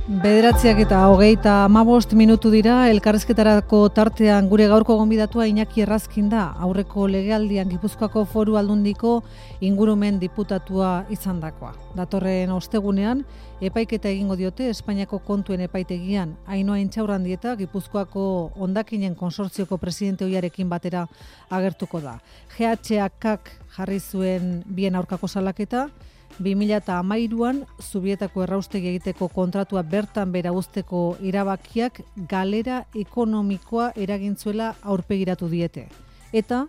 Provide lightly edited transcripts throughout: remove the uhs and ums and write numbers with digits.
9:25 dira, elkarrizketarako tartean gure gaurko gonbidatua Iñaki Errazkin da, aurreko legealdian Gipuzkoako Foru Aldundiko ingurumen diputatua izandakoa. Datorren ostegunean, epaiketa egingo diote Espainiako kontuen epaitegian, Ainhoa Intxaurrandieta Gipuzkoako hondakinen konsortzioko presidente ohiarekin batera agertuko da. GHKak jarri zuen bien aurkako salaketa, 2013an Zubietako erraustegi egiteko kontratua bertan bera uzteko erabakiak galera ekonomikoa eragintzuela aurpegiratu diete. Eta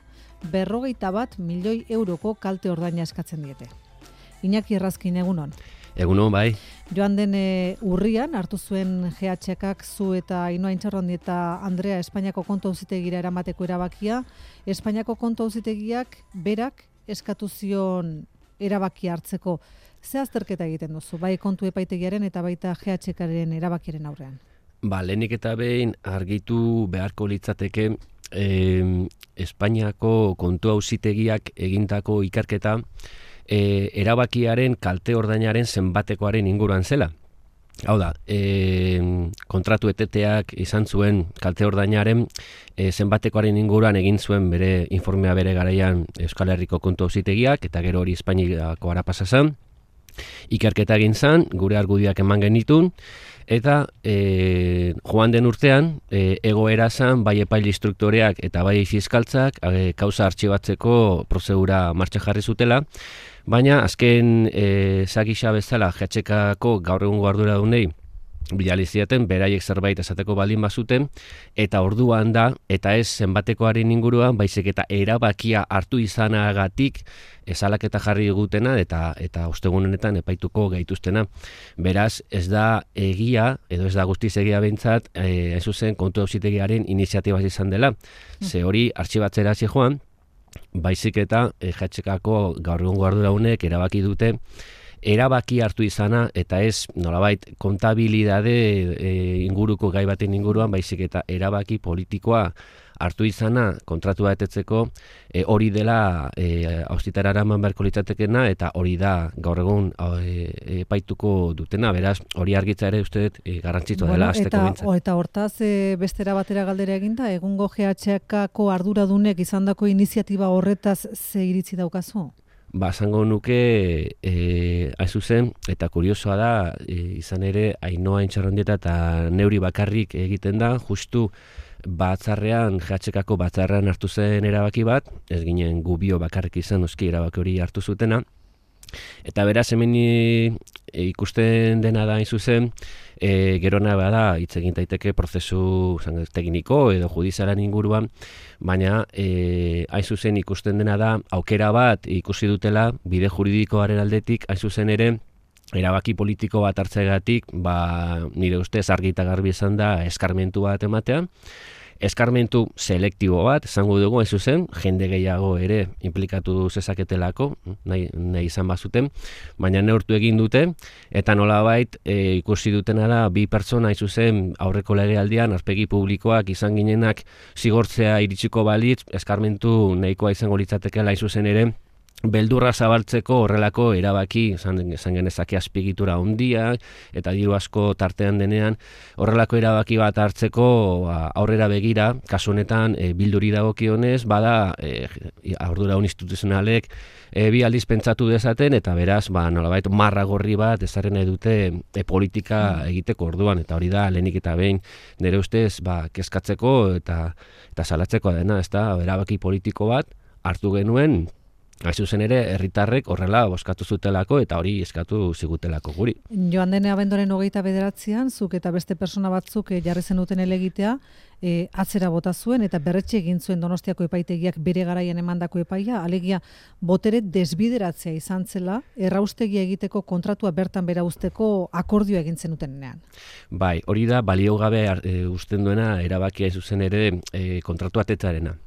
51 milioi euroko kalte ordaina eskatzen diete. Iñaki Errazkin, egunon. Egunon, bai. Joan den urrian hartu zuen GHKak zu eta Ainhoa Intxaurrandieta Andrea Espainiako kontu auzitegira eramateko erabakia. Espainiako kontu auzitegiak berak eskatu zion erabakia hartzeko. Ze azterketa egiten duzu, bai kontu epaitegiaren eta baita GHKaren erabakiaren aurrean? Lehenik eta behin argitu beharko litzateke Espainiako kontu auzitegiak egindako ikerketa erabakiaren kalte ordainaren zenbatekoaren inguruan zela. Hau da, kontratu eteteak izan zuen kalte ordainaren zenbatekoaren inguruan egin zuen bere informea bere garaian Euskal Herriko kontu auzitegiak, eta gero hori Espainiako ara pasa zen. Ikerketa egin zen, gure argudiak eman genitun, eta joan den urtean egoera zen bai epaile instruktoreak eta bai fiskaltzak kausa artxibatzeko prozedura martxan jarri zutela, baina azken zagisa bezala GHKako gaur egungo arduradunei bidali zieten beraiek zerbait esateko baldin bazuten, eta orduan da, eta ez zenbatekoaren inguruan, baizik eta erabakia hartu izanagatik salaketa jarri digutena eta ostegun honetan epaituko gaituztena. Beraz, ez da egia, edo ez da guztiz egia behintzat, hain zuzen kontu auzitegiaren iniziatibaz izan dela. Ze hori artxibatzera hasi joan, baizik eta GHKako gaur egungo arduradunek erabaki dute erabaki hartu izana, eta ez nolabait kontabilidade inguruko gai baten inguruan, baizik eta erabaki politikoa hartu izana kontratua betetzeko, hori dela auzitara eraman beharko litzatekeena, eta hori da gaur egun epaituko dutena. Beraz, hori argitza ere uste dut garrantzitsua dela hasteko behintzat. Eta hortaz bestera batera galdera eginda, egungo GHKako arduradunek izandako iniziatiba horretaz ze iritzi daukazu? Esango nuke, hain zuzen, eta kuriosoa da, izan ere, Ainhoa Intxaurrandieta eta neuri bakarrik egiten da, justu batzarrean, GHKako batzarrean hartu zen erabaki bat, ez ginen gu bio bakarrik izan noski erabaki hori hartu zutena, eta beraz hemen ikusten dena da hain zuzen, gerona bada hitz egin daiteke prozesu tekniko edo judizialan inguruan, baina hain zuzen ikusten dena da aukera bat ikusi dutela bide juridikoaren aldetik, hain zuzen ere erabaki politiko bat hartzeagatik, nire ustez argi eta garbi izan da eskarmentu bat ematean. Eskarmentu selektibo bat, esango dugu, ez zuzen, jende gehiago ere implikatu zezaketelako, nahi izan bazuten, baina neurtu egin dute, eta nolabait ikusi dutena da, bi pertsona, ez zuzen, aurreko legealdian, aurpegi publikoak izan ginenak zigortzea iritsiko balitz, eskarmentu nahikoa izango litzatekeela, ez zuzen ere, beldurra zabaltzeko horrelako erabaki, izan genezake azpigitura handia eta diru asko tartean denean, horrelako erabaki bat hartzeko aurrera begira, kasu honetan bilduri dagokionez, bada arduradun instituzionalek bi aldiz pentsatu dezaten, eta beraz, nolabait marra gorri bat ezarri nahi dute politika egiteko orduan, eta hori da lehenik eta behin nire ustez kezkatzeko eta salatzeko dena, ez da, erabaki politiko bat hartu genuen, hain zuzen ere, herritarrek horrela bozkatu zutelako eta hori eskatu zigutelako guri. Joan den abenduaren 29an, zuk eta beste persona batzuk jarri zenuten helegitea, atzera bota zuen eta berretxe egin zuen Donostiako epaitegiak bere garaian emandako epaia, alegia botere desbideratzea izan zela, erraustegia egiteko kontratua bertan bera uzteko akordioa egin zenutenean. Bai, hori da baliogabe uzten duena erabakia zuzen ere kontratua tetzarena.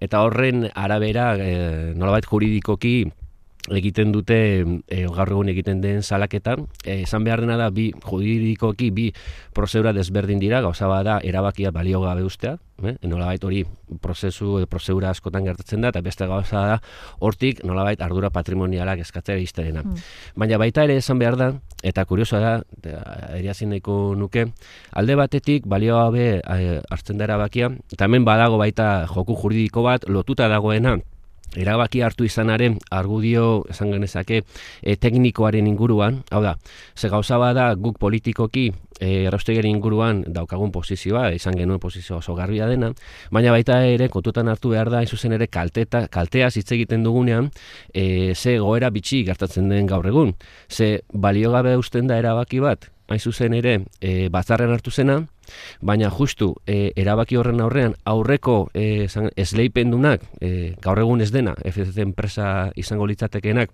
Eta horren arabera, nolabait juridikoki egiten dute gaur egun egiten den salaketa. Esan behar dena da, juridikoki bi prozedura desberdin dira, gauza bada erabakia balio gabe ustea, nolabait hori prozedura askotan gertatzen da, eta beste gauza da hortik nolabait ardura patrimonialak eskatzea izterena. Baina baita ere esan behar da, eta kuriosoa da, eriazin nahiko nuke, alde batetik balio gabe hartzen da erabakia, eta hemen badago baita joku juridiko bat lotuta dagoena, erabaki hartu izanaren argudio esan genezake teknikoaren inguruan, hau da, ze gauza bada guk politikoki erraustegiaren inguruan daukagun posizioa, izan genuen posizio oso garbia dena, baina baita ere kontutan hartu behar da, hain zuzen ere kalteaz hitz egiten dugunean, ze goera bitxi gertatzen den gaur egun, ze balio gabe usten da erabaki bat, hain zuzen ere batzarren hartu zena, baina justu erabaki horren aurrean aurreko esleipendunak gaur egun ez dena, FCC enpresa izango litzatekeenak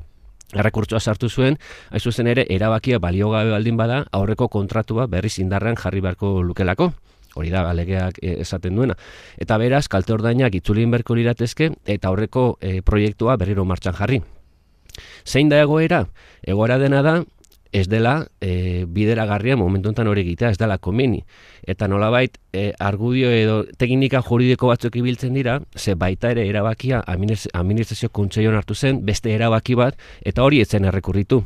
errekurtsoa sartu zuen, hain zuzen ere erabakia balio gabe baldin bada aurreko kontratua berriz indarrean jarri beharko lukelako. Hori da, legeak esaten duena. Eta beraz, kalte ordainak itzulin beharko liratezke eta aurreko proiektua berriro martxan jarri. Zein da egoera? Egoera dena da, ez dela bideragarria momentu honetan hori egitea, ez dela komeni. Eta nolabait argudio edo teknika juridiko batzuk ibiltzen dira, ze baita ere erabakia administrazio kontseiluan hartu zen, beste erabaki bat, eta hori ez zen errekurritu.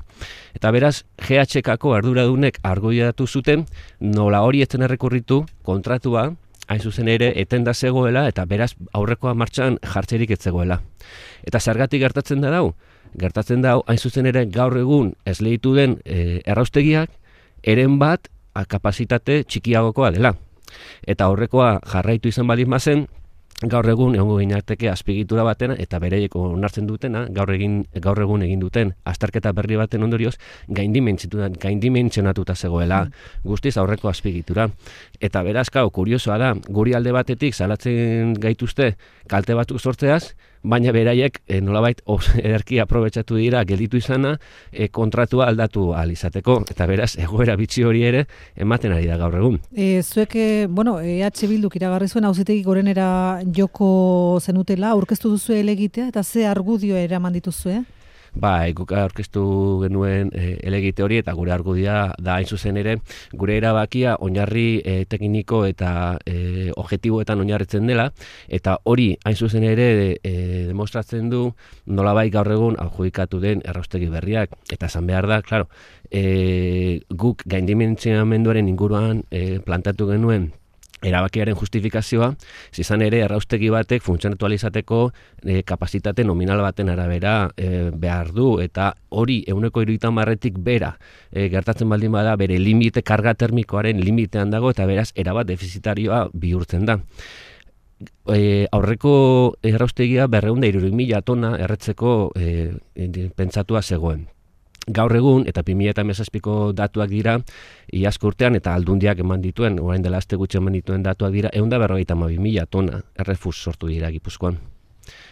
Eta beraz, GHKko arduradunek argudiatu zuten, nola hori ez zen errekurritu, kontratua, hain zuzen ere, etenda zegoela, eta beraz, aurrekoa martxan jartzerik ez zegoela. Eta zergatik gertatzen da dau? Gertatzen da, hain zuzen ere, gaur egun esleitu den erraustegiak, eren bat kapazitate txikiagokoa dela. Eta aurrekoa jarraitu izan baldin bazen, gaur egun egongo ginateke azpigitura batena eta bereiek onartzen dutena, gaur egun egin duten azterketa berri baten ondorioz gaindimentsionatuta zegoela guztiz aurreko azpigitura. Eta beraz, kuriosoa da, guri alde batetik salatzen gaituzte kalte batzuk sortzeaz, baina beraiek nolabait ederki aprobetxatu dira gelditu izana kontratua aldatu ahal izateko. Eta beraz, egoera bitxi hori ere ematen ari da gaur egun. Zuek, EH Bilduk iragarri zuen auzitegi gorenera joko zenutela, aurkeztu duzu helegitea eta ze argudio eraman dituzue? Guk aurkeztu genuen helegite hori eta gure argudia da hain zuzen ere gure erabakia oinarri tekniko eta objektiboetan oinarritzen dela eta hori hain zuzen ere demostratzen du nolabait gaur egun adjudikatu den erraustegi berriak eta esan behar da, claro, guk gaindimentsionamenduaren inguruan plantatu genuen erabakiaren justifikazioa, izan ere erraustegi batek funtzionatu ahal izateko kapazitate nominal baten arabera behar du, eta hori 130-tik bera gertatzen baldin bada bere limite karga termikoaren limitean dago eta beraz erabat defizitarioa bihurtzen da. Aurreko erraustegia 260.000 tona erretzeko pentsatua zegoen. Gaur egun, eta 2017ko datuak dira, iazko urtean eta aldundiak eman dituen, orain dela aste gutxi eman dituen datuak dira, 152.000 tona errefus sortu dira Gipuzkoan.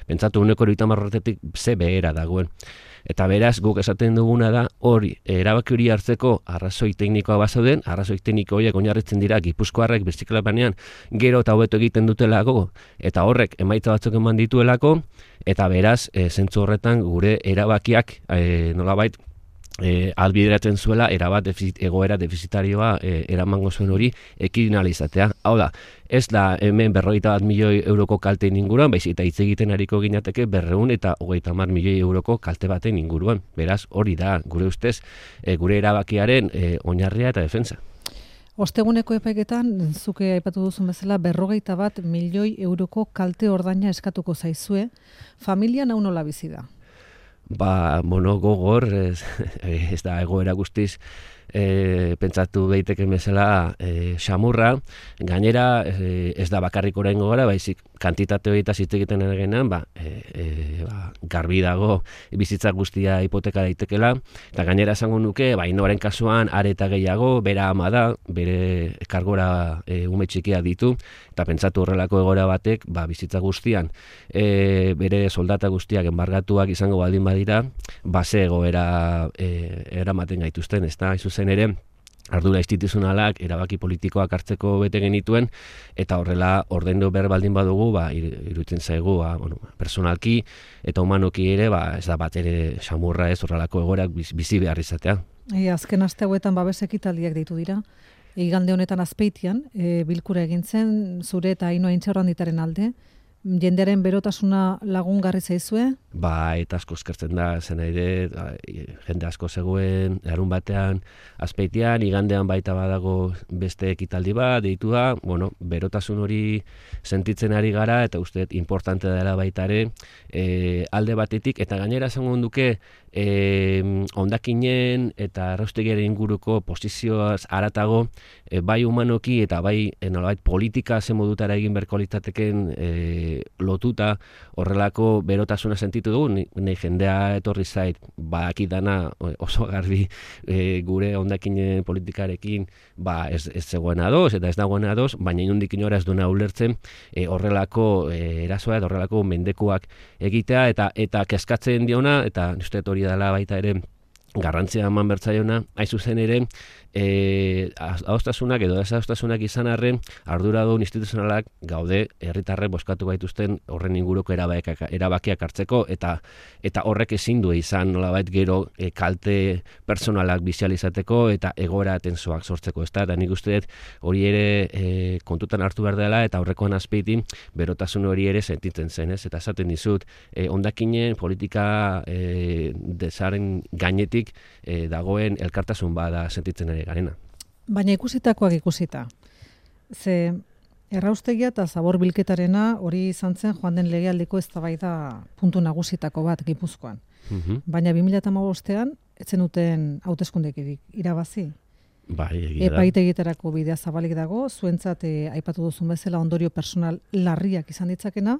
Pentsatu 130-tik ze behera dagoen. Eta beraz, guk esaten duguna da, hori, erabaki hori hartzeko arrazoi teknikoa bazauden, arrazoi tekniko horiek oinarritzen dira Gipuzkoarrek birziklapanean gero eta hobeto egiten dutelako, eta horrek emaitza batzuk eman dituelako, eta beraz, zentzu horretan gure erabakiak nolabait albideratzen zuela egoera defizitarioa eramango zuen hori ekidinalizatea. Hau da, ez da hemen 51 milioi euroko kalteen inguruan, baizik eta hitz egiten ariko ginateke 230 milioi euroko kalte baten inguruan. Beraz, hori da, gure ustez, gure erabakiaren oinarria eta defensa. Osteguneko epaiketan, zuke aipatu duzun bezala, 51 milioi euroko kalte ordaina eskatuko zaizue, familia nau nola bizi da? Gogor, ez da egoera guztiz pentsatu daiteke bezala xamurra, gainera ez da bakarrik oraingo gara, baizik kantitate horieta hitz egiten genean, garbi dago bizitza guztia hipoteka daitekela, eta gainera esango nuke, Ainoaren kasuan are eta gehiago, bera ama da, bere kargora ume txikia ditu, eta pentsatu horrelako egoera batek, bizitza guztian bere soldata guztiak enbargatuak izango baldin badira, ze egoera eramaten gaituzten, ez da, zuzen ere, ardura instituzionalak erabaki politikoak hartzeko bete genituen, eta horrela ordaindu behar baldin badugu, iruditzen zaigu, personalki eta humanoki ere, ez da bat ere samurra ez horrelako egoerak bizi behar izatea. Azken aste hauetan babes ekitaldiak deitu dira. Igande honetan Azpeitian, bilkura egin zen, zure eta Ainhoa Intxaurranditaren alde, jendearen berotasuna lagungarri zaizue? Eta asko eskertzen da, zen ere, jende asko zegoen, larun batean, Azpeitian, igandean baita badago beste ekitaldi bat, deitua, berotasun hori sentitzen ari gara, eta uste importante dela baita ere, alde batetik, eta gainera esango duke, hondakinen eta erraustegiaren inguruko posizioaz haratago, bai humanoki eta bai nolabait politika zen modutara egin beharko litzateken lotuta horrelako berotasuna sentitu dugu, nahi jendea etorri zait, badaki dana oso garbi gure hondakinen politikarekin ez zegoen ados eta ez dagoen ados, baina inondik inora ez duena ulertzen horrelako erasoa eta horrelako mendekuak egitea eta kezkatzen diona, eta uste hori dela baita ere garrantzia eman bertzaiona, hain zuzen ere adostasunak edo desadostasunak izan arren arduradun instituzionalak gaude herritarrek bozkatu gaituzten horren inguruko erabakiak hartzeko, eta horrek ezin du izan nolabait gero kalte personalak bizializateko eta egoera tensoak sortzeko, eta nik uste dut hori ere kontutan hartu behar dela, eta aurrekoan Azpeitin berotasun hori ere sentitzen zen, eta esaten dizut, hondakinen politika desaren gainetik dagoen elkartasun bada sentitzen ere garena. Baina ikusitakoak ikusita. Ze erraustegia eta zabor bilketarena hori izan zen joan den legealdiko eztabaida puntu nagusitako bat Gipuzkoan. Baina 2015ean ez zenuten hauteskunderik irabazi. Epaitegietarako bidea zabalik dago, zuentzat aipatu duzun bezala ondorio personal larriak izan ditzakena,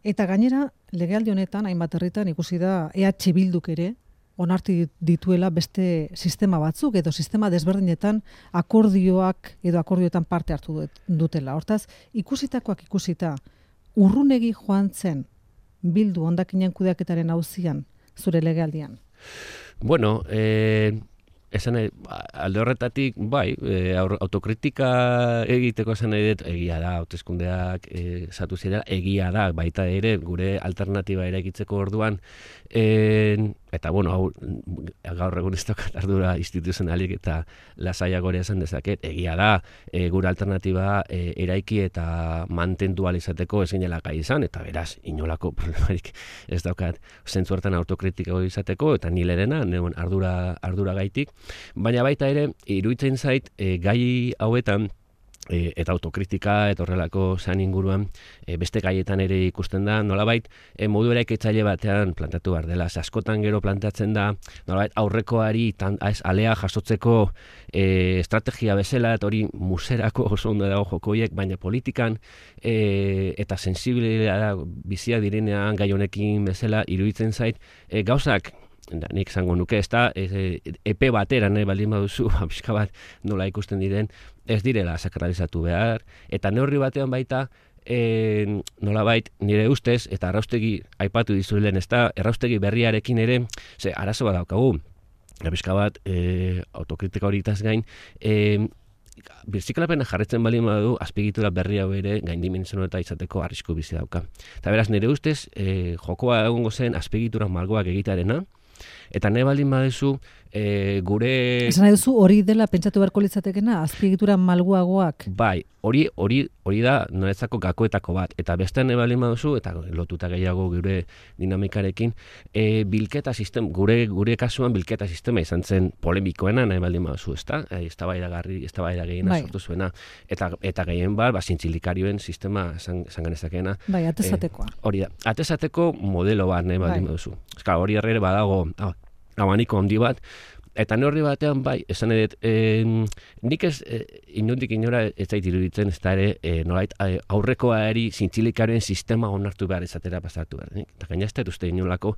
eta gainera legealdi honetan hainbat herritan ikusi da EH Bilduk ere onartu dituela beste sistema batzuk edo sistema desberdinetan akordioetan parte hartu dutela. Hortaz, ikusitakoak ikusita, urrunegi joan zen Bildu hondakinen kudeaketaren auzian zure legealdian? Esan alde horretatik, autokritika egiteko esan nahi dut, egia da, hauteskundeak zatu zirela, egia da, baita ere, gure alternatiba eraikitzeko orduan, eta gaur egun ez daukat ardura instituzionalik eta lasaiago ere esan dezaket, egia da, gure alternatiba eraiki eta mantendu ahal izateko ez ginela gai izan, eta beraz, inolako problemarik ez daukat zentzu hartan autokritiko izateko, eta nilerena, ardura gaitik, baina baita ere, iruditzen zait, gai hauetan, eta autokritika eta horrelako zan inguruan beste gaietan ere ikusten da, nolabait modu eraikitzaile batean plantatu behar dela. Askotan gero plantatzen da, nolabait aurrekoari alea jasotzeko estrategia bezala, eta hori muserako oso ondo dago jokoiek, baina politikan eta sensibilitatea bizia direnean gai honekin bezala iruditzen zait, gauzak nik zango nuke, ez da, epe batera nahi baldin baduzu, pixka bat nola ikusten diren, ez direla sakralizatu behar, eta neurri batean baita, nolabait nire ustez, eta erraustegi aipatu dizuelen, ez da, erraustegi berriarekin ere, arazo bat daukagu, pixka bat, autokritika horitaz gain, birziklapena jarretzen baldin badu, azpiegitura berri hau ere gaindimensionatuta izateko arrisku bizi dauka. Eta beraz, nire ustez, jokoa egongo zen azpiegitura malgoak egitearena, eta nahi baldin baduzu gure... Esan nahi duzu hori dela pentsatu beharko litzatekena, azpiegitura malguagoak? Bai, hori da noretzako gakoetako bat, eta beste nahi baldin baduzu, eta lotuta gehiago gure dinamikarekin, bilketa sistema, gure kasuan bilketa sistema izan zen polemikoena nahi baldin baduzu, ezta? Eztabaida gehiena sortu zuena, eta gehien zintzilikarioen sistema izan genezakena. Bai, atezatekoa. Hori da, atezateko modelo bat nahi baldin baduzu. Hori ere badago abaniko handi bat, eta neurri batean esan edet, nik ez inondik inora ez zait iruditzen, ez da ere, nolait aurrekoari zintzilikaren sistema onartu behar izatera pasatu behar. Eta gainazte uste inolako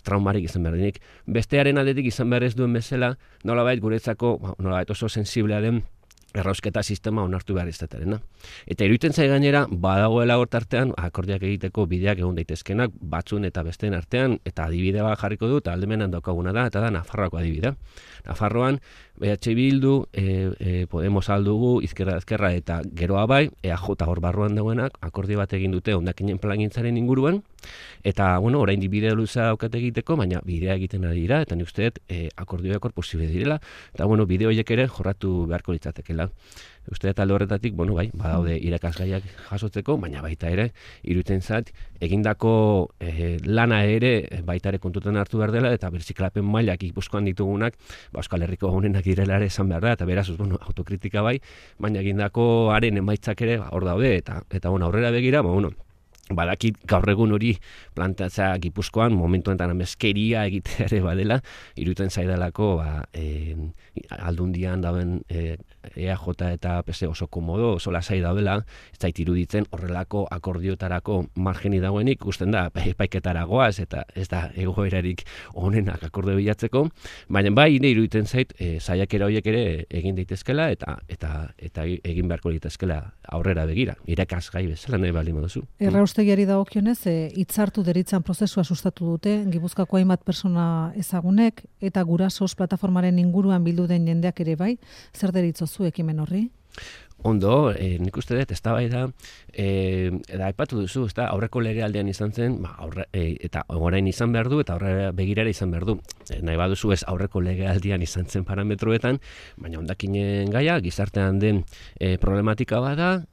traumarik izan behar. Bestearen aldetik izan behar ez duen bezala, nolabait guretzako, nolabait oso sensiblea den errausketa sistema onartu behar izatearena. Eta iruditzen zai gainera, badagoela hortartean, akordiak egiteko bideak egon daitezkenak, batzun eta besteen artean, eta adibide bat jarriko dut, aldemenan daukaguna da, eta da Nafarroako adibidea. Nafarroan, EH Bildu, Podemos aldugu, Izquierda eta geroa bai, EAJ hor barruan dagoenak, akordio bat egin dute hondakinen plangintzaren inguruan, eta, bueno, orain bidea luza daukate egiteko, baina bidea egiten ari dira, eta nik uste dut akordioak hor posible direla, eta, bueno, bide horiek ere jorratu beharko litzatekeela. Uste dut alde horretatik, bueno, bai, badaude irakasgaiak jasotzeko, baina baita ere, iruditzen zait, egindako lana ere baita ere kontutan hartu behar dela, eta birziklapen mailak Gipuzkoan ditugunak, Euskal Herriko honenak direla ere esan behar da, eta beraz, bueno, autokritika bai, baina egindako haren emaitzak ere hor daude, eta bueno, aurrera begira, bueno, badakit gaur egun hori plantatzea Gipuzkoan momentu honetan ameskeria egitea ere badela, iruditzen zaidalako aldundian dauden EAJ eta PS oso komodo, oso lasai daudela, ez zait iruditzen horrelako akordiotarako margeni dagoenik, ikusten da epaiketara goaz eta ez da egoerarik honenak akordio bilatzeko, baina bai iruditzen zait saiakera horiek ere egin daitezkela eta egin beharko daitezkela aurrera begira, irakasgai bezala nahi baldin baduzu. Erraustegiari dagokionez, hitzartu deritzan prozesua sustatu dute, Gipuzkoako hainbat persona ezagunek, eta gurasos plataformaren inguruan bildu den jendeak ere bai, zer deritzozu ekimen horri? Ondo, nik uste dut, ez da bai da, aipatu duzu, ez da, aurreko legealdean izan zen, eta orain izan behar du, eta aurrera begirara izan behar du. Nahi baduzu ez aurreko legealdian izan zen parametroetan, baina hondakinen gaia, gizartean den problematika bada,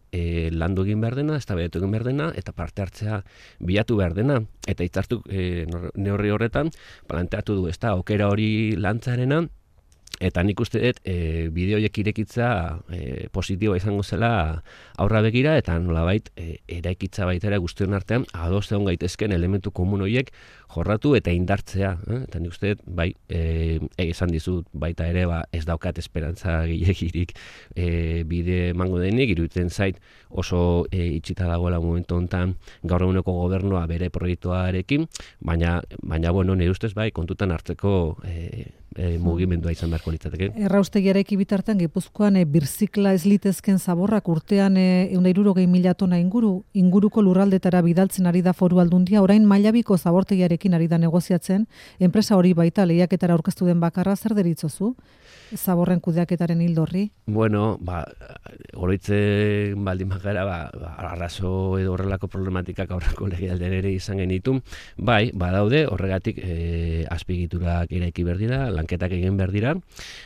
landu egin behar dena, eztabaidatu egin behar dena, eta parte hartzea bilatu behar dena. Eta hitzartu neurri horretan, planteatu du, ez da, aukera hori lantzarena, eta nik uste dut bideoiek irekitza positiboa izango zela aurra begira, eta nolabait eraikitza baita ere guztion artean ados egon gaitezken elementu komun horiek jorratu eta indartzea. Eta nik uste dut, bai, esan dizut baita ere ez daukat esperantza gehiagirik bide emango denik, iruditzen zait oso itxita dagoela momentu honetan gaur eguneko gobernua bere proiektuarekin, baina bueno, nire ustez bai, kontutan hartzeko mugimendua izan beharko litzateke. Erraustegiarekin bitartean Gipuzkoan birzikla ez litezken zaborrak urtean 160.000 tona inguruko lurraldetara bidaltzen ari da Foru Aldundia, orain Mailabiko zabortegiarekin ari da negoziatzen, enpresa hori baita lehiaketara aurkeztu den bakarra, zer deritzozu? Zaborren kudeaketaren hildorri? Bueno, oroitzen baldin bakara, arrazo edo horrelako problematikak aurreko legealdean ere izan genitu. Bai, badaude, horregatik azpigiturak eraiki behar dira, lanketak egin behar dira,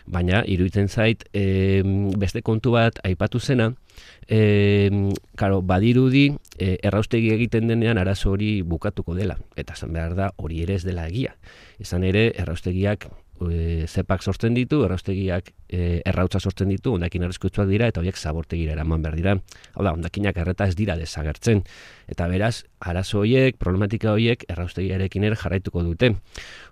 baina iruditzen zait beste kontu bat aipatu zena, badirudi erraustegi egiten denean arazo hori bukatuko dela, eta esan behar da hori ere ez dela egia. Izan ere, erraustegiak zepak sortzen ditu, erraustegiak errautza sortzen ditu, hondakin arriskutsuak dira, eta horiek zabortegira eraman behar dira. Hau da, hondakinak erreta ez dira desagertzen. Eta beraz, arazo horiek, problematika horiek, erraustegiarekin ere jarraituko dute.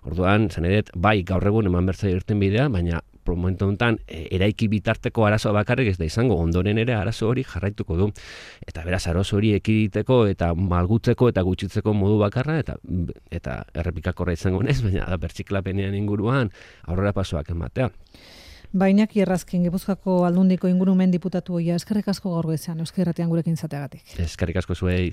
Orduan, zanedet, bai, gaur egun eman bertza irten bidea, baina momentu honetan eraiki bitarteko arazoa bakarrik ez da izango, ondoren ere arazo hori jarraituko du. Eta beraz, arazo hori ekiditeko eta malgutzeko eta gutxitzeko modu bakarra, eta errepikakorra izango nez, baina da bertxiklapenean inguruan aurrera pasoak ematea. Iñaki Errazkin, Gipuzkoako Aldundiko ingurumen diputatu oia, eskerrik asko gaur goizean, Euskal Irratian gurekin izateagatik. Eskerrik asko zuei.